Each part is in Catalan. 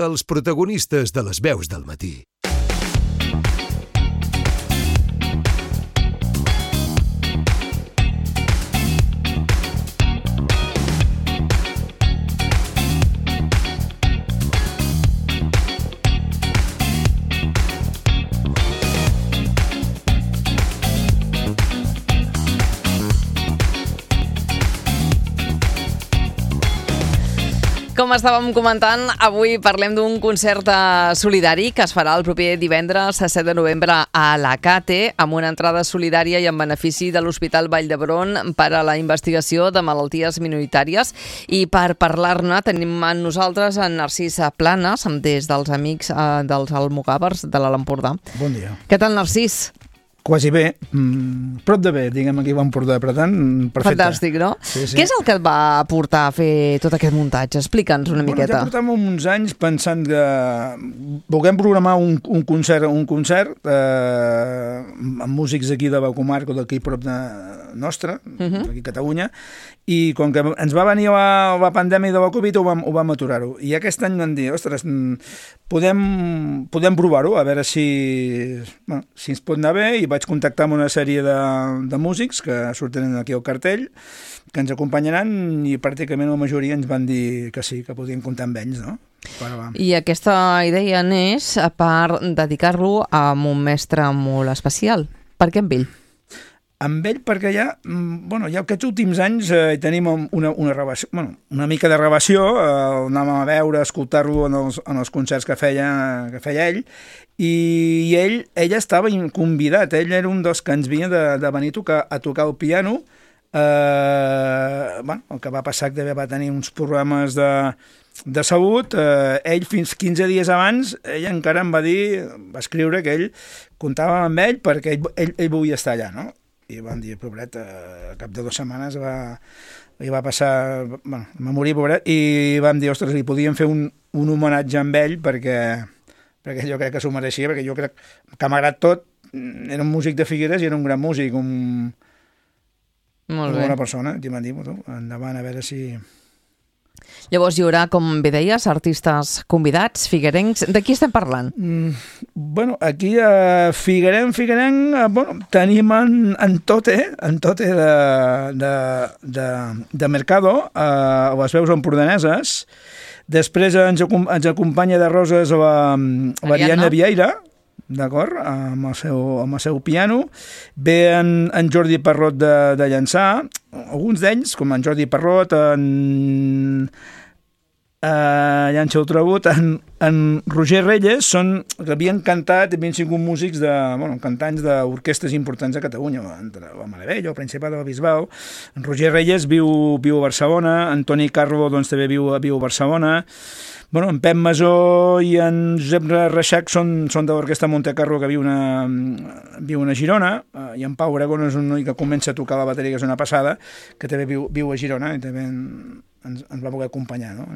els protagonistes de les veus del matí. Com estàvem comentant, avui parlem d'un concert solidari que es farà el proper divendres 7 de novembre a Alacate, amb una entrada solidària i en benefici de l'Hospital Vall d'Hebron per a la investigació de malalties minoritàries. I per parlar-ne tenim amb nosaltres en Narcís Planes, des dels amics dels Almogàvers de l'Alt Empordà. Bon dia. Què tal, Narcís? Quasi bé, prop de bé, diguem aquí a Empordà, per tant, perfecte. Fantàstic, no? Sí. Què és el que et va portar a fer tot aquest muntatge? Explica'ns una miqueta. Ja portàvem uns anys pensant que volguem programar un concert amb músics aquí de la comarca, d'aquí prop de nostra, aquí a Catalunya, i com que ens va venir la pandèmia de la Covid ho vam aturar-ho. I aquest any vam dir, ostres, podem provar-ho, a veure si ens pot anar bé, i vaig contactar amb una sèrie de músics que surten aquí al cartell, que ens acompanyaran, i pràcticament la majoria ens van dir que sí, que podien comptar amb ells, no? I aquesta idea neix per dedicar-lo a un mestre molt especial. Per què amb ell? Amb ell perquè ja aquests últims anys tenim una mica de relació, anàvem a veure, a escoltar-lo en els concerts que feia ell, i ell estava convidat, ell era un dels que ens havia de venir a tocar el piano. El que va passar que va tenir uns problemes de salut, ell fins 15 dies abans, ell encara em va escriure que ell comptava amb ell perquè ell volia estar allà, no? I van dir, pobret, a cap de 2 setmanes li va passar, va morir, pobret, i vam dir, ostres, li podíem fer un homenatge amb ell perquè jo crec que s'ho mereixia, perquè jo crec que malgrat tot era un músic de Figueres i era un gran músic, una bona persona, i m'han dit, endavant, a veure si... Llavors hi haurà, com bé deies, artistes convidats, figuerencs. De qui estem parlant? Aquí a Figuerenc, tenim en Tote de Mercado, les veus empordaneses. Després ens acompanya de Roses l'Ariadna Vieira, d'acord, amb el seu piano. Ve en Jordi Parrot de Llançà, alguns d'ells, com en Jordi Parrot, en Llança Ultrabut, en Roger Reyes, que havien cantat, havien sigut músics cantants d'orquestres importants a Catalunya, entre la Maravell, el Principat de Bisbal. En Roger Reyes viu a Barcelona, en Toni Carlo també viu a Barcelona. En Pep Masó i en Josep Reixac són de l'Orquestra Montecarlo, que viu a Girona, i en Pau Aragón és un noi que comença a tocar la bateria, que és una passada, que també viu a Girona, i també ens va voler acompanyar, no?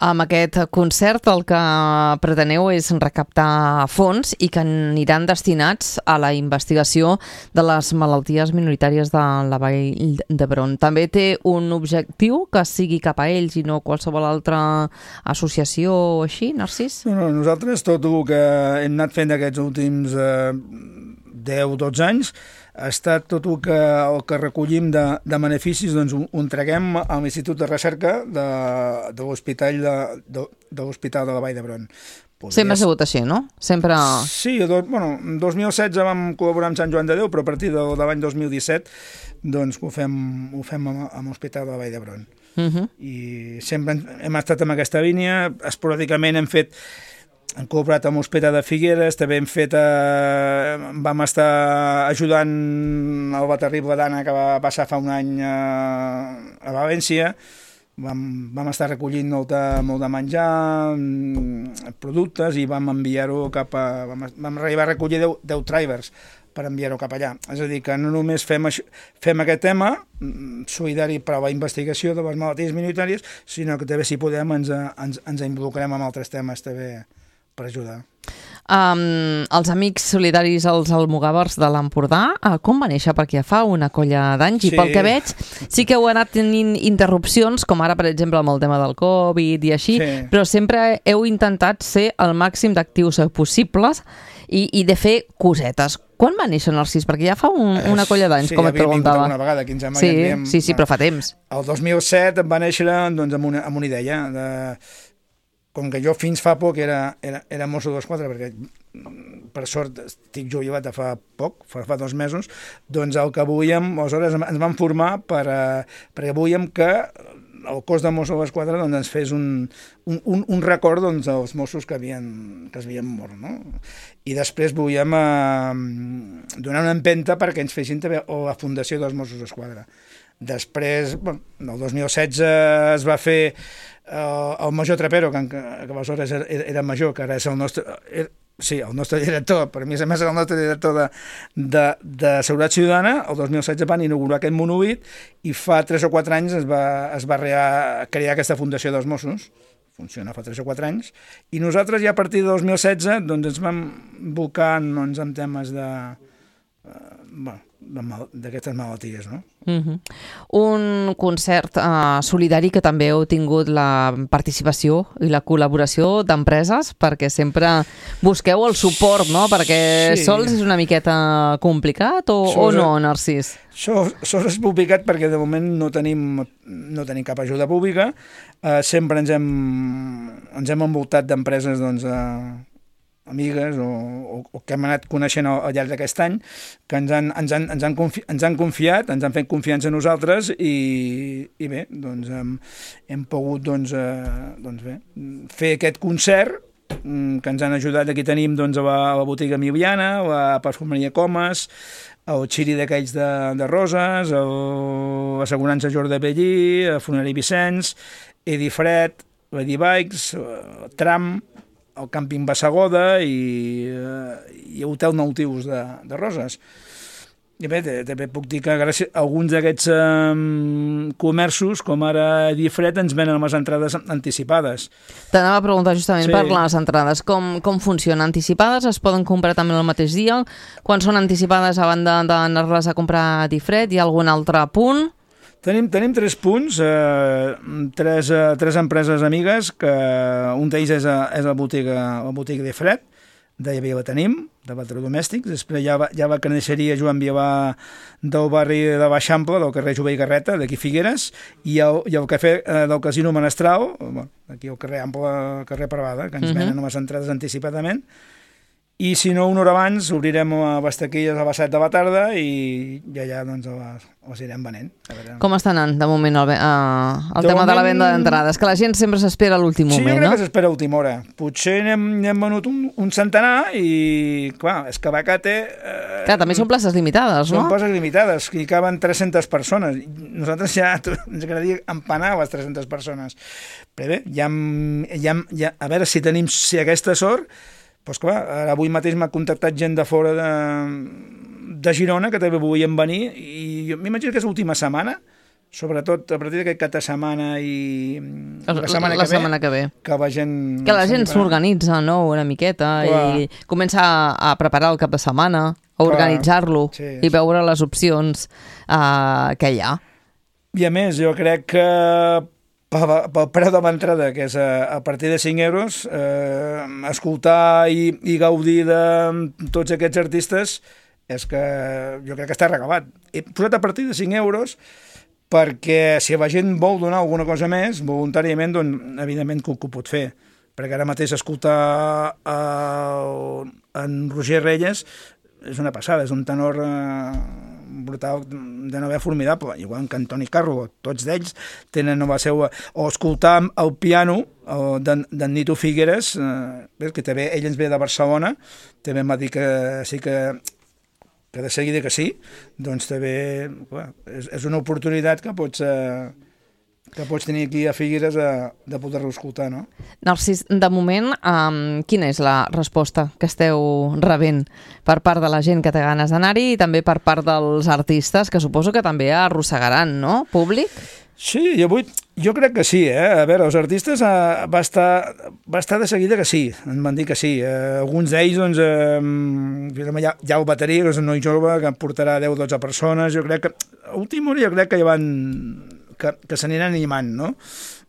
Amb aquest concert el que preteneu és recaptar fons i que aniran destinats a la investigació de les malalties minoritàries de la Vall d'Hebron. També té un objectiu que sigui cap a ells i no qualsevol altra associació o així, Narcís? Nosaltres tot el que hem anat fent aquests últims 10-12 anys ha estat tot el que recollim de beneficis, doncs ho entreguem a l'Institut de Recerca de l'Hospital de la Vall d'Hebron. Sempre ha sigut així, no? Sempre... Sí, en 2016 vam col·laborar amb Sant Joan de Déu, però a partir de l'any 2017 doncs ho fem amb l'Hospital de la Vall d'Hebron. I sempre hem estat en aquesta línia, esporàdicament hem col·laborat amb l'Hospital de Figueres, també vam estar ajudant el terrible d'Anna que va passar fa un any a València. Vam estar recollint molt de menjar, productes, i vam enviar-ho vam arribar a recollir 10 trailers per enviar-ho cap allà. És a dir, que no només fem aquest tema solidari per a la investigació de les malalties minoritàries, sinó que també, si podem, ens involucrem en altres temes també per ajudar. Els Amics Solidaris als Almogàvers de l'Empordà, com va néixer? Perquè ja fa una colla d'anys, i pel que veig sí que heu anat tenint interrupcions, com ara, per exemple, amb el tema del Covid i així, però sempre heu intentat ser el màxim d'actius possibles i de fer cosetes. Quan va néixer Narcís? Perquè ja fa una colla d'anys, com et preguntava. Una vegada, 15 anys. Sí, però fa temps. El 2007 va néixer doncs, amb una idea de... Com que jo fins fa poc era mosso d'esquadra, perquè per sort estic jubilat de fa poc, fa 2 mesos, doncs el que volíem, aleshores ens vam formar perquè volíem que el cos de Mossos d'Esquadra doncs, ens fes un record doncs, dels Mossos que es havien mort. No? I després volíem donar una empenta perquè ens fessin també la fundació dels Mossos d'Esquadra. Després, el 2016 es va fer el major Trapero, que aleshores era major, que ara és el nostre... Sí, el nostre director, per mi a més era el nostre director de Seguretat Ciutadana. El 2016 van inaugurar aquest monòlit i fa 3 o 4 anys es va crear aquesta fundació dels Mossos. Funciona fa 3 o 4 anys. I nosaltres ja a partir de 2016 doncs, ens vam volcar doncs, en temes d'aquestes malalties, no? Un concert solidari que també heu tingut la participació i la col·laboració d'empreses, perquè sempre busqueu el suport, no? Perquè sols és una miqueta complicat o no, Narcís? Sols és complicat perquè de moment no tenim cap ajuda pública. Sempre ens hem envoltat d'empreses doncs, amigues o que hem anat coneixent al llarg d'aquest any, que ens han confiat, ens han fet confiança a nosaltres i bé, doncs hem pogut fer aquest concert que ens han ajudat. Aquí tenim doncs, a la botiga Emiliana, la perfumeria Comas, el xiri d'aquells de Roses, l'assegurança Jordi Bellí, el Funerari Vicenç, Edi Fred, Lady Bikes, Tram, el càmping Bassegoda i Hotel Nautius de Roses. I bé, també puc dir que gràcies a alguns d'aquests comerços, com ara Difred, ens venen les entrades anticipades. T'anava a preguntar justament per les entrades. Com funcionen? Anticipades? Es poden comprar també el mateix dia? Quan són anticipades, a banda d'anar-les a comprar a Difred, hi ha algun altre punt? Tenim 3 punts, 3 empreses amigues, que un d'ells és la botiga de Fred, de Llevia la tenim, de Electrodomèstics. Després hi ha la carnisseria Joan Viavà del barri de l'Eixample, del carrer Jové i Garreta, d'aquí Figueres, i el cafè del Casino Menestral, aquí al carrer Ample, carrer Parvada, que ens venen les entrades anticipadament. I si no, una hora abans obrirem les taquilles a les 7 de la tarda i allà doncs, les irem venent. Com està anant de moment el tema de la venda d'entrades? Que la gent sempre s'espera a l'últim moment, no? Sí, jo crec que s'espera a última hora. Potser n'hem venut un centenar i, clar, és que Bacate... Clar, també són places limitades, no? Són places limitades, hi caben 300 persones. Nosaltres ja ens agradaria empanar les 300 persones. Però bé, a veure si aquesta sort... Doncs clar, avui mateix m'ha contactat gent de fora de Girona que també volien venir i jo m'imagino que és l'última setmana, sobretot a partir d'aquest cap de setmana i la setmana que ve. Que la gent s'organitza, no?, una miqueta, i comença a preparar el cap de setmana, a organitzar-lo i veure les opcions que hi ha. I a més, jo crec que pel preu de l'entrada, que és a partir de 5 euros, escoltar i gaudir de tots aquests artistes és que jo crec que està regalat. He posat a partir de 5 euros perquè si la gent vol donar alguna cosa més, voluntàriament, doncs evidentment que ho pot fer. Perquè ara mateix escoltar en Roger Reyes és una passada, és un tenor brutal, de nova formidable, igual que Antoni Carro, tots d'ells tenen nova seva, o escoltar el piano d'en Nito Figueres, que també ell ens ve de Barcelona, també em va dir que sí que de seguida que sí, doncs també és una oportunitat que que pots tenir aquí a Figueres de poder-lo escoltar, no? Narcís, de moment, quina és la resposta que esteu rebent per part de la gent que té ganes d'anar-hi i també per part dels artistes, que suposo que també arrossegaran, no? Públic? Sí, jo crec que sí, A veure, els artistes va estar de seguida que sí, em van dir que sí. Alguns d'ells, doncs, hi ha el bateria, que és un noi jove que portarà 10 o 12 persones, jo crec que, a última hora jo crec que ja van, que s'aniran animant, no?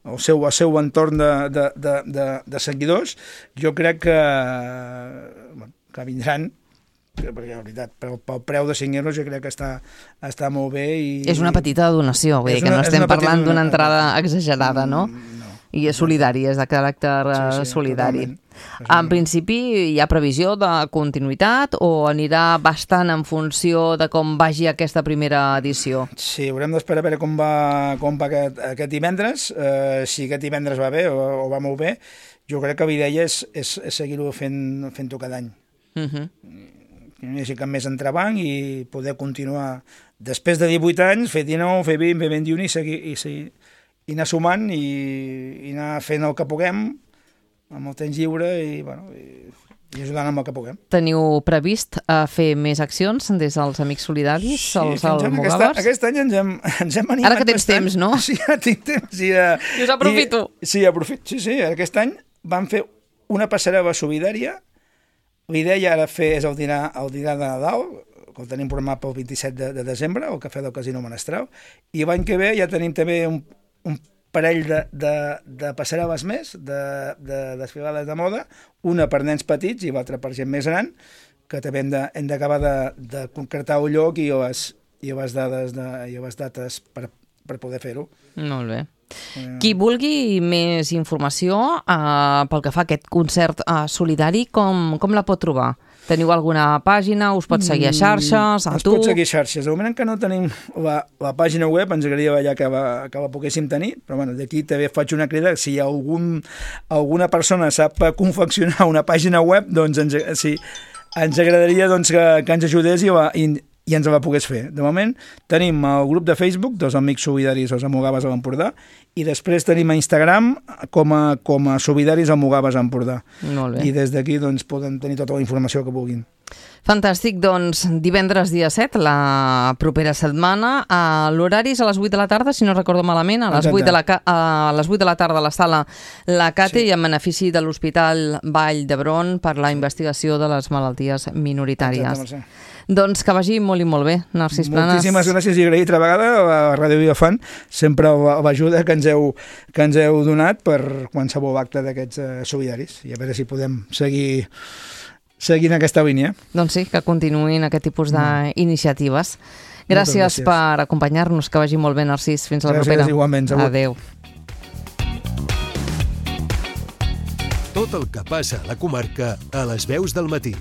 El seu entorn de seguidors, jo crec que vindran, perquè la veritat, pel preu de 5 euros jo crec que està molt bé. És una petita donació, vull dir que no estem parlant d'una entrada exagerada, no? No. I és solidari, és de caràcter solidari. En principi hi ha previsió de continuïtat o anirà bastant en funció de com vagi aquesta primera edició? Sí, haurem d'esperar a veure com va aquest divendres. Si aquest divendres va bé o va molt bé, jo crec que la idea és seguir-ho fent-ho cada any. Que no hi hagi cap més entrebanc i poder continuar després de 18 anys, fer 19, fer 20, fer 21 i anar sumant i anar fent el que puguem amb el temps lliure i ajudant amb el que puguem. Teniu previst fer més accions des dels Amics Solidaris, els Almogàvers? Aquest any ens hem animat. Ara que tens temps, no? Sí, ara tinc temps. I us aprofito. Sí, aprofito. Sí, aquest any vam fer una passarel·la solidària. L'idea ara és el dinar de Nadal, que el tenim programat pel 27 de desembre, al Cafè del Casino Menestral, i l'any que ve ja tenim també un parell de passarel·les més, de desfilades de moda, una per nens petits i l'altra per gent més gran, que també hem d'acabar de concretar el lloc i les dates per poder fer-ho. Molt bé. Qui vulgui més informació pel que fa a aquest concert solidari, com la pot trobar? Teniu alguna pàgina? Us pot seguir a xarxes? Ens pot seguir a xarxes. De moment que no tenim la pàgina web, ens agradaria que la poguéssim tenir, però bueno, d'aquí també faig una crida. Si alguna persona sap confeccionar una pàgina web, doncs ens agradaria que ens ajudés i ens la pogués fer. De moment tenim el grup de Facebook dels Amics Solidaris dels Almogàvers a l'Empordà i després tenim a Instagram com a Solidaris Almogàvers a l'Empordà. Molt bé. I des d'aquí poden tenir tota la informació que vulguin. Fantàstic, doncs divendres dia 7, la propera setmana, l'horari és a les 8 de la tarda, si no recordo malament, a les 8 de la tarda a la sala La Cate i en benefici de l'Hospital Vall d'Hebron per la investigació de les malalties minoritàries. Doncs que vagi molt i molt bé, Narcís Planas. Moltíssimes gràcies i agraït altra vegada a Ràdio Vilafant, sempre l'ajuda que ens heu donat per qualsevol acte d'aquests solidaris i a veure si podem seguir en aquesta línia. Doncs sí, que continuïn aquest tipus d'iniciatives. Gràcies per acompanyar-nos, que vagi molt bé, Narcís. Fins a la propera. Gràcies, igualment. Adéu. Tot el que passa a la comarca a les veus del matí.